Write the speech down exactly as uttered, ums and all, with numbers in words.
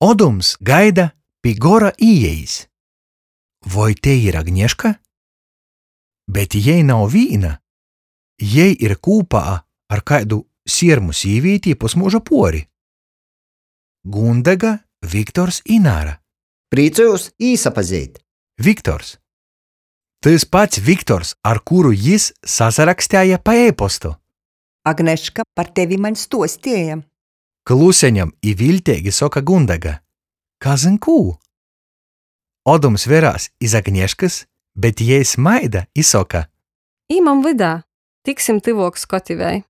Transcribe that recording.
Odums gaida pi gora īejis. Voi tei ir Agneška? Bet jei nav vīna. Jei ir kūpā ar kaidu siermu sīvīti i pusmyuža puori. Gundega, Viktors, Ināra. Prīcojūs īsapazeit. Viktors. Tys pats Viktors, ar kuru jis sasarakstēja pa e-postu. Agneška par tevi maņ stuostieja. Kluseņom i viļteigi soka Gundega. Kazyn kū? Odums verās iz Agneškys, bet jei smaida i soka. Īmam vydā, tiksim tyvuok skotivei.